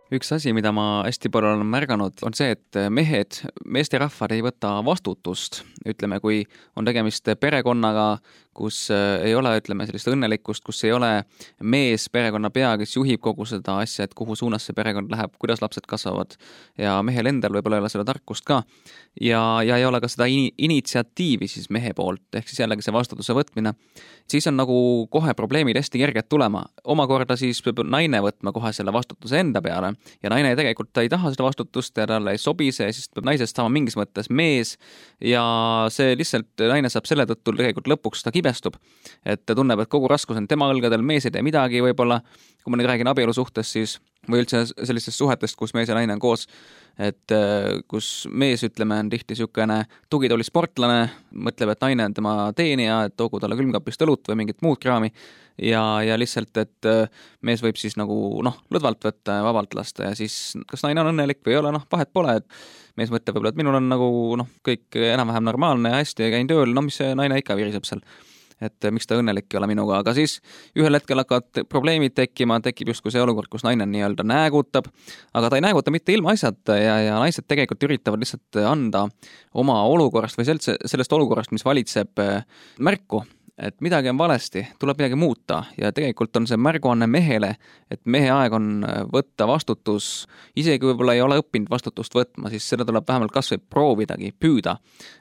Üks asi, mida ma hästi palju olen märganud, on see, et mehed, meesterahvad ei võta vastutust. Ütleme, kui on tegemist perekonnaga, kus ei ole, ütleme, sellist õnnelikkust, kus ei ole mees perekonna pea, kes juhib kogu seda asja, et kuhu suunas see perekond läheb, kuidas lapsed kasvavad ja mehel endal võib-olla ei ole seda tarkust ka ja, ja ei ole ka seda in- initsiatiivi siis mehe poolt, ehk siis jällegi see vastutuse võtmine, siis on nagu kohe probleemid hästi kerged tulema. Omakorda siis peab naine võtma kohe selle vastutuse enda peale ja naine tegelikult ta ei taha seda vastutust ja talle ei sobi see, siis peab naisest saama mingis mõttes mees ja see lihtsalt naine saab selle tõttu tegelikult lõpuks ta kibestub, et ta tunneb, et kogu raskus on tema õlgadel, mees ei tee midagi võib-olla, kui ma nüüd räägin abielusuhtest siis või üldse sellistest suhetest, kus mees ja naine on koos, et kus mees, ütleme, on tihti niisugune tugitooli sportlane, mõtleb, et naine on tema teenija, et toogu talle külmkapist õlut või mingit muud kraami ja, ja lihtsalt, et mees võib siis nagu noh, lõdvalt võtta ja vabalt lasta ja siis kas naine on õnnelik või ei ole, noh, vahet pole, et mees mõtleb võib-olla, et minul on nagu noh, kõik enam-vähem normaalne ja hästi ja käin tööl, no mis see naine ikka viriseb seal, et miks ta õnnelik ei ole minuga, aga siis ühel hetkel hakkavad probleemid tekkima, tekib justkui see olukord, kus naine nii-öelda näägutab, aga ta ei nääguta mitte ilma asjata ja, ja naised tegelikult üritavad lihtsalt anda oma olukorrast või sellest, sellest olukorrast, mis valitseb märku, et midagi on valesti, tuleb midagi muuta ja tegelikult on see märguanne mehele, et mehe aeg on võtta vastutus, isegi võib-olla ei ole õppinud vastutust võtma, siis seda tuleb vähemalt kas või proovidagi, püüda,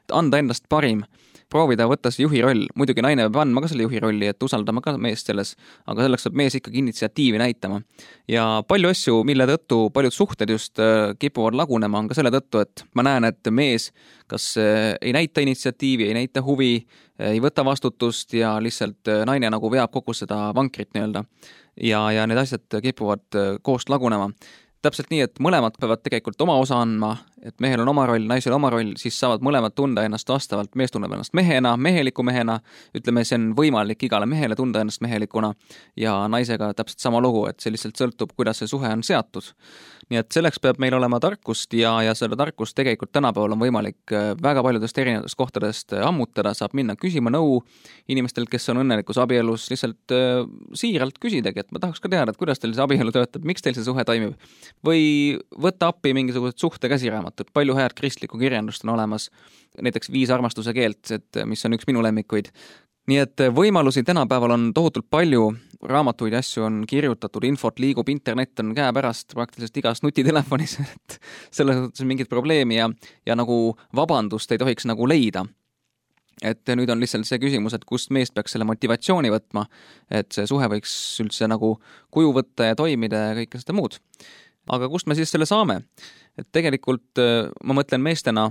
anda endast parim, proovida võtta see juhi roll, muidugi naine peab andma ka selle juhi rolli, et usaldama ka meest selles, aga selleks peab mees ikkagi initsiatiivi näitama. Ja palju asju, mille tõttu paljud suhted just kipuvad lagunema, on ka selle tõttu, et ma näen, et mees kas ei näita initsiatiivi, ei näita huvi, ei võta vastutust ja lihtsalt naine nagu veab kogu seda vankrit nii-öelda. Ja, ja need asjad kipuvad koost lagunema. Täpselt nii, et mõlemad peavad tegelikult oma osa andma, et mehel on oma roll, naisel oma roll, siis saavad mõlemad tunda ennast vastavalt, mees tunneb ennast mehena, meheliku mehena, ütleme, see on võimalik igale mehele tunda ennast mehelikuna ja naisega täpselt sama lugu, et see lihtsalt sõltub, kuidas see suhe on seatud. Nii et selleks peab meil olema tarkust ja, ja selle tarkust tegelikult tänapäeval on võimalik väga paljudest erinevatest kohtadest ammutada, saab minna küsima nõu inimestel, kes on õnnelikus abielus, lihtsalt äh, siiralt küsidagi, et ma tahaks ka teada, et kuidas teil see abielu töötab, miks teil see suhe toimib. Või võtta appi mingisugused suhte käsiraamatud, palju head kristlikku kirjandust on olemas, näiteks Viis armastuse keelt, et, mis on üks minu lemmikuid. Nii et võimalusi tänapäeval on tohutult palju, raamatuid ja asju on kirjutatud, infot liigub, internet on käepärast praktiliselt igas nutitelefonis, et selles mõttes on mingit probleemi ja, ja nagu vabandust ei tohiks nagu leida. Et nüüd on lihtsalt see küsimus, et kust meest peaks selle motivatsiooni võtma, et see suhe võiks üldse nagu kuju võtta ja toimida ja kõike seda muud. Aga kust me siis selle saame? Et tegelikult ma mõtlen meestena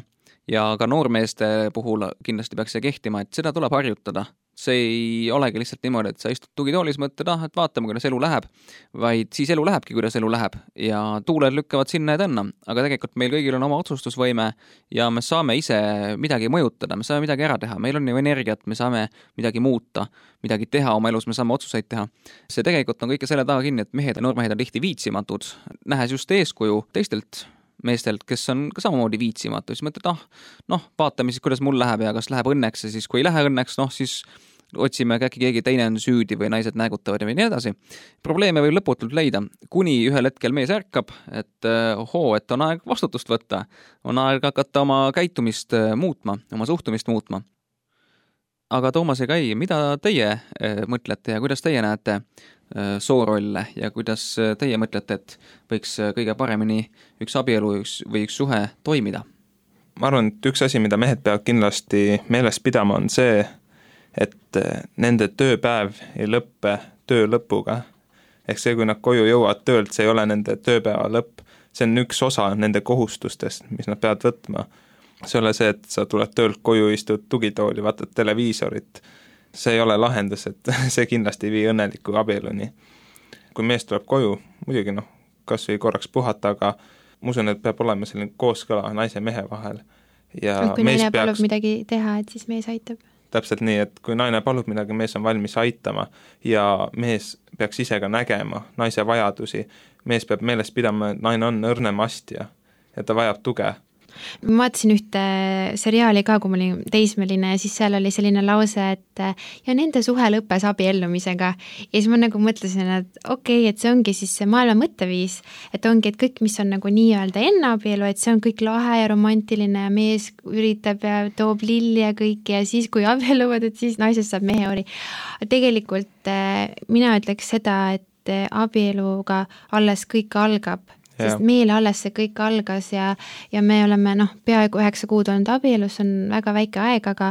ja ka noormeeste puhul kindlasti peaks see kehtima, et seda tuleb harjutada. See ei olegi lihtsalt niimoodi, et sa istud tugitoolis, mõtled, ah, et vaatame, kuidas elu läheb, vaid siis elu lähebki, kuidas elu läheb ja tuuled lükkavad sinna ja tänna, aga tegelikult meil kõigil on oma otsustusvõime ja me saame ise midagi mõjutada, me saame midagi ära teha, meil on ju energiat, me saame midagi muuta, midagi teha oma elus, me saame otsuseid teha. See tegelikult on kõike selle taga kinni, et mehed ja noormehed on tihti viitsimatud, nähes just eeskuju teistelt meestelt, kes on ka samamoodi viitsimatu, siis mõtled, ah, noh, vaatame siis, kuidas mul läheb ja kas läheb õnneks ja siis kui ei lähe õnneks, noh, siis otsime äkki keegi teine on süüdi või naised nägutavad ja nii edasi. Probleeme võib lõputult leida, kuni ühel hetkel mees ärkab, et ohoo, et on aeg vastutust võtta, on aeg hakata oma käitumist muutma, oma suhtumist muutma. Aga Toomas ja Kai, mida teie mõtlete ja kuidas teie näete soorolle ja kuidas teie mõtlete, et võiks kõige paremini üks abielu üks, või üks suhe toimida? Ma arvan, et üks asi, mida mehed peavad kindlasti meeles pidama, on see, et nende tööpäev ei lõppe töö lõpuga. Ehk see, kui nad koju jõuavad töölt, see ei ole nende tööpäeva lõpp. See on üks osa nende kohustustest, mis nad peavad võtma. See ei ole see, et sa tuled töölt koju, istud tugitooli, vaatad televiisorit. See ei ole lahendus, et see kindlasti ei vii õnneliku abieluni. Kui mees tuleb koju, muidugi noh, kas või korraks puhata, aga ma usun, et peab olema selline kooskõla naise mehe vahel. Ja kui naine peaks... palub midagi teha, et siis mees aitab. Täpselt nii, et kui naine palub midagi, mees on valmis aitama ja mees peaks ise ka nägema naise vajadusi. Mees peab meeles pidama, et naine on õrnem astja ja ta vajab tuge. ma vaatasin ühte seriaali ka, kui ma olin teismeline ja siis seal oli selline lause, et ja nende suhe lõppes abiellumisega. Ja siis ma nagu mõtlesin, et okei, okay, et see ongi siis see maailma mõtteviis, et ongi, et kõik, mis on nagu nii-öelda enne abielu, et see on kõik lahe ja romantiline ja mees üritab ja toob lilli ja kõik ja siis, kui abielluvad, et siis naisest saab meheori. Tegelikult mina ütleks seda, et abieluga alles kõik algab. Sest meile alles see kõik algas ja, ja me oleme noh, peaaegu üheksa kuud olnud abielus, on väga väike aeg, aga,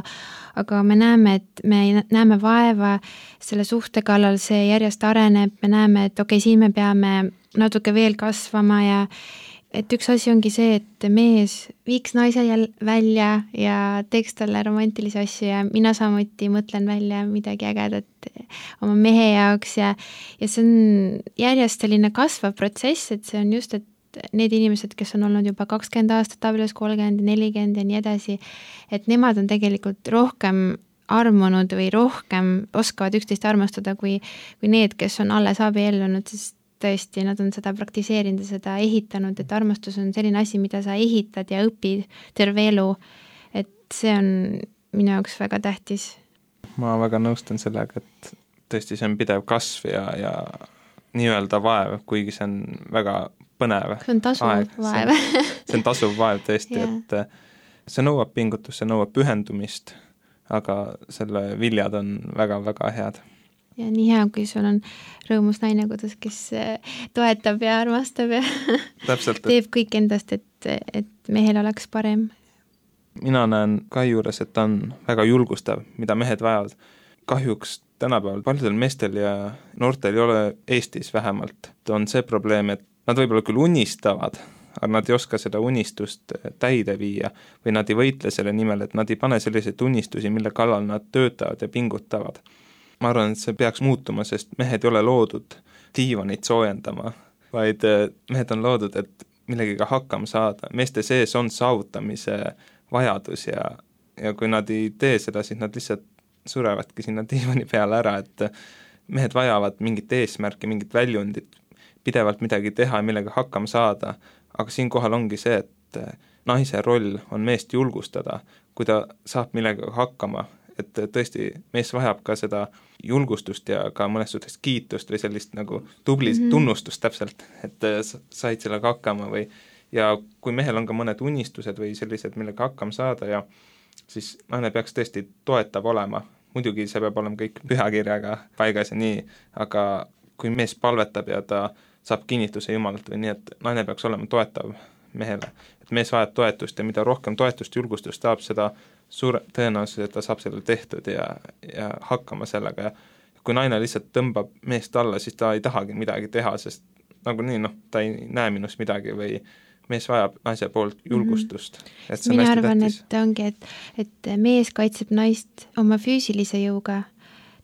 aga me näeme, et me näeme vaeva selle suhte kallal, see järjest areneb, me näeme, et okei, siin me peame natuke veel kasvama ja et üks asi ongi see, et mees viiks naise jälle välja ja teeks talle romantilisi asju ja mina samuti mõtlen välja midagi ägedat oma mehe jaoks ja, ja see on järjest selline kasvav protsess, et see on just, et need inimesed, kes on olnud juba kakskümmend aastat abielus, kolmkümmend, nelikümmend ja nii edasi, et nemad on tegelikult rohkem armunud või rohkem oskavad üksteist armastada kui, kui need, kes on alles abiellunud, sest tõesti, nad on seda praktiseerinud ja seda ehitanud, et armastus on selline asi, mida sa ehitad ja õpid terve elu, et see on minu jaoks väga tähtis. Ma väga nõustun sellega, et tõesti see on pidev kasv ja, ja nii-öelda vaev, kuigi see on väga põnev. See on tasuv aeg. vaev. See on, see on tasuv vaev tõesti, yeah. et see nõuab pingutust, see nõuab pühendumist, aga selle viljad on väga-väga head. Ja nii hea, kui sul on rõõmus naine kodus, kes toetab ja armastab ja Täpselt, teeb kõik endast, et, et mehel oleks parem. Mina näen Kai juures, et ta on väga julgustav, mida mehed vajavad. Kahjuks tänapäeval paljudel meestel ja noortel ei ole Eestis vähemalt. On see probleem, et nad võib-olla küll unistavad, aga nad ei oska seda unistust täide viia või nad ei võitle selle nimel, et nad ei pane selliseid unistusi, mille kallal nad töötavad ja pingutavad. Ma arvan, et see peaks muutuma, sest mehed ei ole loodud diivanit soojendama, vaid mehed on loodud, et millegiga hakkama saada. Meeste sees on saavutamise vajadus ja, ja kui nad ei tee seda, siis nad lihtsalt surevadki sinna diivani peale ära, et mehed vajavad mingit eesmärki, mingit väljundit, pidevalt midagi teha ja millega hakkama saada, aga siinkohal ongi see, et naise roll on meest julgustada, kui ta saab millega hakkama, et tõesti mees vajab ka seda julgustust ja ka mõnes suhtes kiitust või sellist nagu tublist mm -hmm. tunnustust täpselt, et said sellega hakkama või ja kui mehel on ka mõned unistused või sellised, millega hakkama saada ja siis naine peaks tõesti toetav olema. Muidugi see peab olema kõik pühakirjaga paigas ja nii, aga kui mees palvetab ja ta saab kinnituse Jumalalt või nii, et naine peaks olema toetav mehele. Et mees vajab toetust ja mida rohkem toetust, julgustust saab, seda suure tõenäosus, et ta saab selle tehtud ja, ja hakkama sellega ja kui naine lihtsalt tõmbab meest alla, siis ta ei tahagi midagi teha, sest nagu nii, noh, ta ei näe minust midagi või mees vajab naise poolt julgustust. Mm-hmm. Et see on Mina hästi arvan, tähtis. et ongi, et, et mees kaitseb naist oma füüsilise jõuga,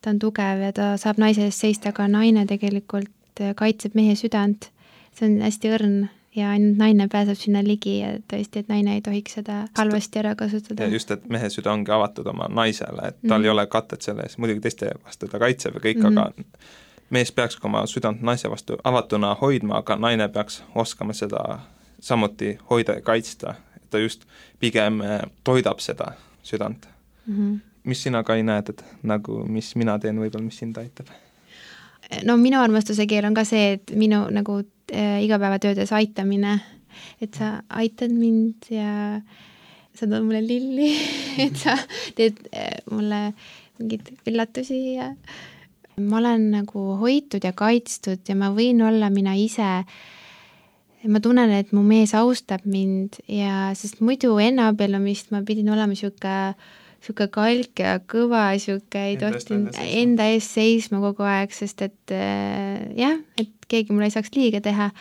ta on tugev ja ta saab naise eest seista, aga naine tegelikult kaitseb mehe südant, see on hästi õrn ja ainult naine pääseb sinna ligi ja tõesti, et naine ei tohiks seda halvasti ära kasutada. Ja just, et mehe süda ongi avatud oma naisele, et tal mm-hmm. ei ole katet selle ees, muidugi teiste vastu ta kaitseb ja kõik, mm-hmm. aga mees peaks oma südant naise vastu avatuna hoidma, aga naine peaks oskama seda samuti hoida ja kaitsta, et ta just pigem toidab seda südant. Mm-hmm. Mis sina ka ei näed, et nagu mis mina teen võib-olla, mis sind aitab? No minu armastuse keel on ka see, et minu nagu äh, igapäevatöödes aitamine, et sa aitad mind ja sa tood mulle lilli, et sa teed äh, mulle mingid üllatusi ja ma olen nagu hoitud ja kaitstud ja ma võin olla mina ise. Ma tunnen, et mu mees austab mind ja sest muidu enne abiellumist ma pidin olema siuke siuke kalk ja kõva, siuke ei tohtinud enda ees seisma kogu aeg, sest et äh, jah, et keegi mulle ei saaks liiga teha.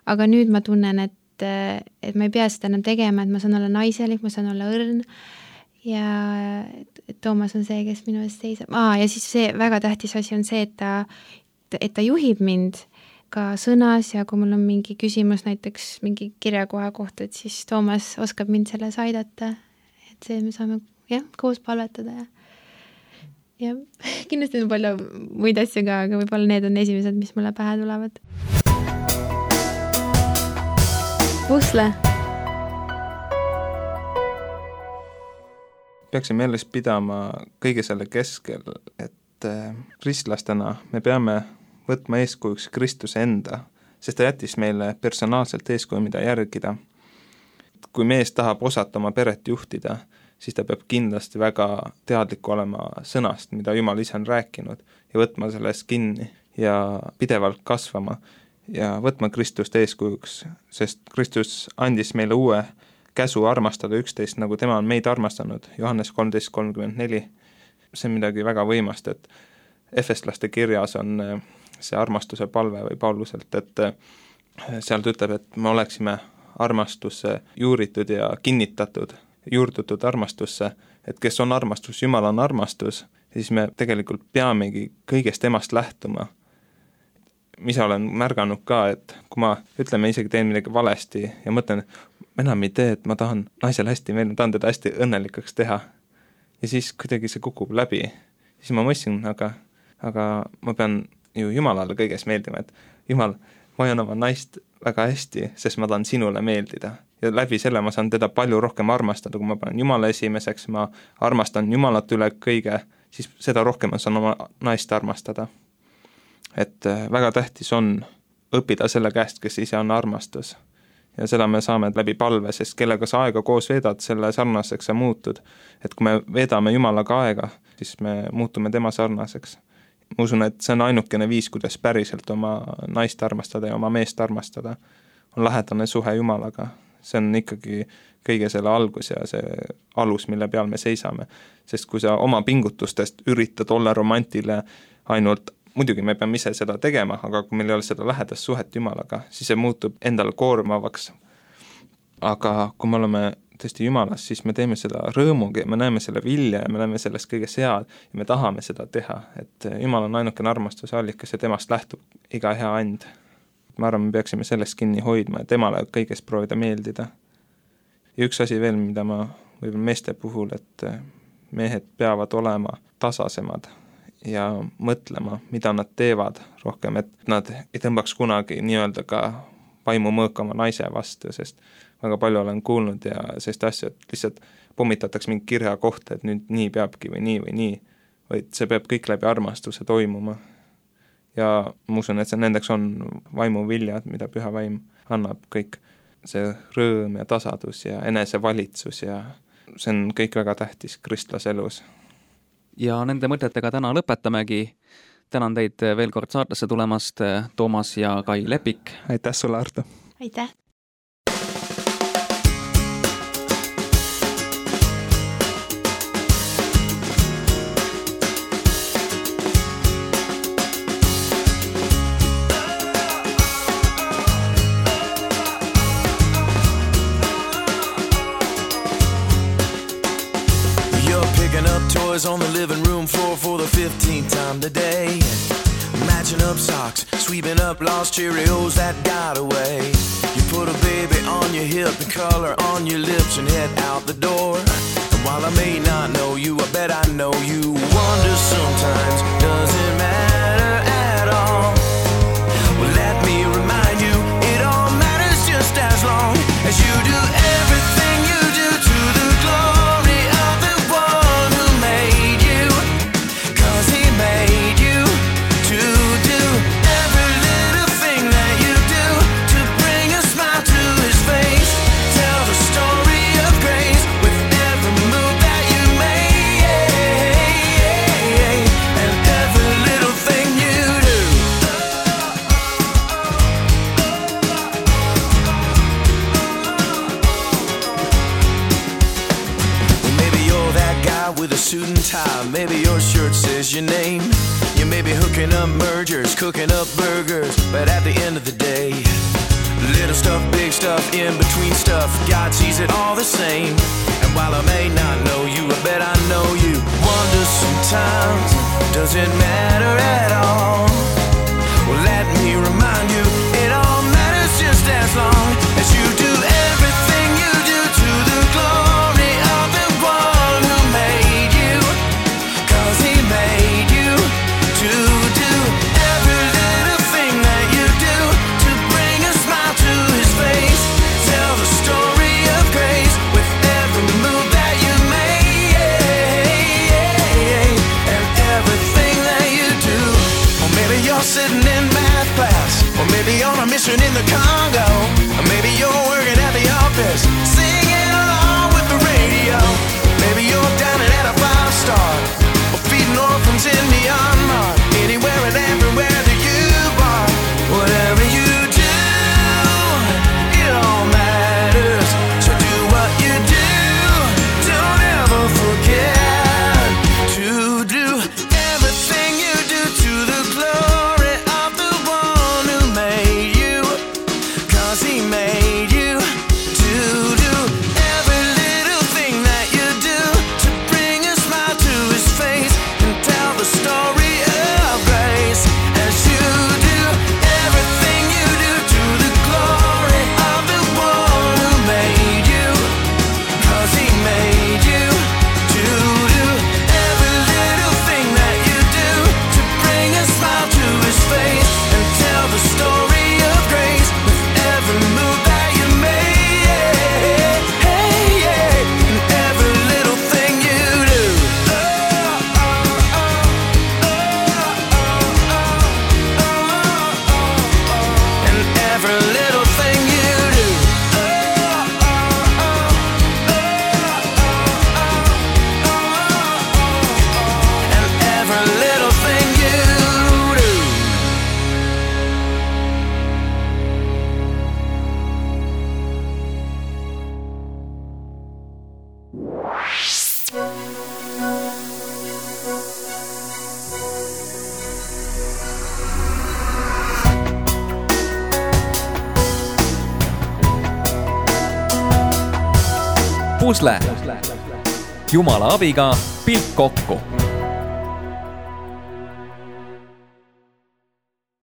Aga nüüd ma tunnen, et, et ma ei pea seda enam tegema, et ma saan olla naiselik, ma saan olla õrn ja et Toomas on see, kes minu ees seisab. Aa, ja siis see väga tähtis asi on see, et ta, et ta juhib mind ka sõnas ja kui mul on mingi küsimus näiteks mingi kirjakoha kohta, et siis Toomas oskab mind selles aidata, et see me saame jah, koos palvetada ja ja kindlasti on palju muid asju ka, aga võib-olla need on esimesed, mis mulle pähe tulevad. Pusle. peaksime meeles pidama kõige selle keskel, et kristlastena me peame võtma eeskujuks Kristuse enda, sest ta jättis meile personaalselt eeskuju, mida järgida. Kui mees tahab osata oma peret juhtida, siis ta peab kindlasti väga teadlik olema sõnast, mida Jumal ise on rääkinud ja võtma sellest kinni ja pidevalt kasvama ja võtma Kristust eeskujuks, sest Kristus andis meile uue käsu armastada üksteist, nagu tema on meid armastanud, Johannes kolmteist kolmkümmend neli. See on midagi väga võimast, et Efeslaste kirjas on see armastuse palve või Pauluselt, et seal ütleb, et me oleksime armastusse juuritud ja kinnitatud, juurdutud armastusse, et kes on armastus, Jumal on armastus, siis me tegelikult peamegi kõigest temast lähtuma. Mis olen märganud ka, et kui ma ütleme isegi teen midagi valesti ja mõtlen, ma enam ei tee, et ma tahan naisele hästi meelde, tahan teda hästi õnnelikaks teha. Ja siis kuidagi see kukub läbi. Siis ma mõtlesin, aga, aga ma pean ju Jumalale kõiges meeldima, et Jumal, ma hoian oma naist väga hästi, sest ma tahan sinule meeldida. Ja läbi selle ma saan teda palju rohkem armastada, kui ma panen Jumala esimeseks, ma armastan Jumalat üle kõige, siis seda rohkem ma saan oma naist armastada. Et väga tähtis on õppida selle käest, kes ise on armastus. Ja seda me saame läbi palve, sest kellega sa aega koos veedad, selle sarnaseks sa muutud. Et kui me veedame Jumalaga aega, siis me muutume tema sarnaseks. Ma usun, et see on ainukene viis, kuidas päriselt oma naist armastada ja oma meest armastada. On lähedane suhe Jumalaga. See on ikkagi kõige selle algus ja see alus, mille peal me seisame. Sest kui sa oma pingutustest üritad olla romantile ainult, muidugi me peame ise seda tegema, aga kui meil ei ole seda lähedast suhet Jumalaga, siis see muutub endale koormavaks. Aga kui me oleme tõesti Jumalas, siis me teeme seda rõõmugi, me näeme selle vilja ja me näeme sellest kõige sead ja me tahame seda teha, et Jumal on ainukene armastuse allikas ja temast lähtub iga hea and. Ma arvan, me peaksime sellest kinni hoidma ja temale kõigest proovida meeldida. Ja üks asi veel, mida ma võib-olla meeste puhul, et mehed peavad olema tasasemad ja mõtlema, mida nad teevad rohkem, et nad ei tõmbaks kunagi nii-öelda ka vaimu mõõkama naise vastu, sest väga palju olen kuulnud ja sellist asja, et lihtsalt pommitatakse mingi kirja kohta, et nüüd nii peabki või nii või nii, vaid see peab kõik läbi armastuse toimuma. Ja ma usun, et see nendeks on vaimu viljad, mida püha vaim annab kõik. See rõõm ja tasadus ja enesevalitsus ja see on kõik väga tähtis kristlase elus. Ja nende mõtetega täna lõpetamegi. Tänan teid veel kord saatesse tulemast, Toomas ja Kai Lepik. Aitäh sulle, Arto! Aitäh! On the living room floor for the fifteenth time today, matching up socks, sweeping up lost Cheerios that got away. You put a baby on your hip and color on your lips and head out the door. And while I may not know you, I bet I know you. Wonder sometimes, does it matter at all? Well, let me remind you, it all matters just as long as you do everything you do to the glory of the one who made you. Cause he made you to do every little thing that you do to bring a smile to his face. Tell the story of grace with every move that you make, and every little thing you do. Well, maybe you're that guy with a suit and tie. Maybe your shirt says your name. You may be hooking up mergers, cooking up burgers, but at the end of the day, little stuff, big stuff, in between stuff, God sees it all the same. And while I may not know you, I bet I know you. Wonder sometimes, does it matter at all? Well, let me remind you, it all matters just as long as you do everything you do to the glory of the one who made you. Cause he made you to do every little thing that you do to bring a smile to his face. Tell the story of grace with every move that you make, Pusle. Jumala abiga pilt kokku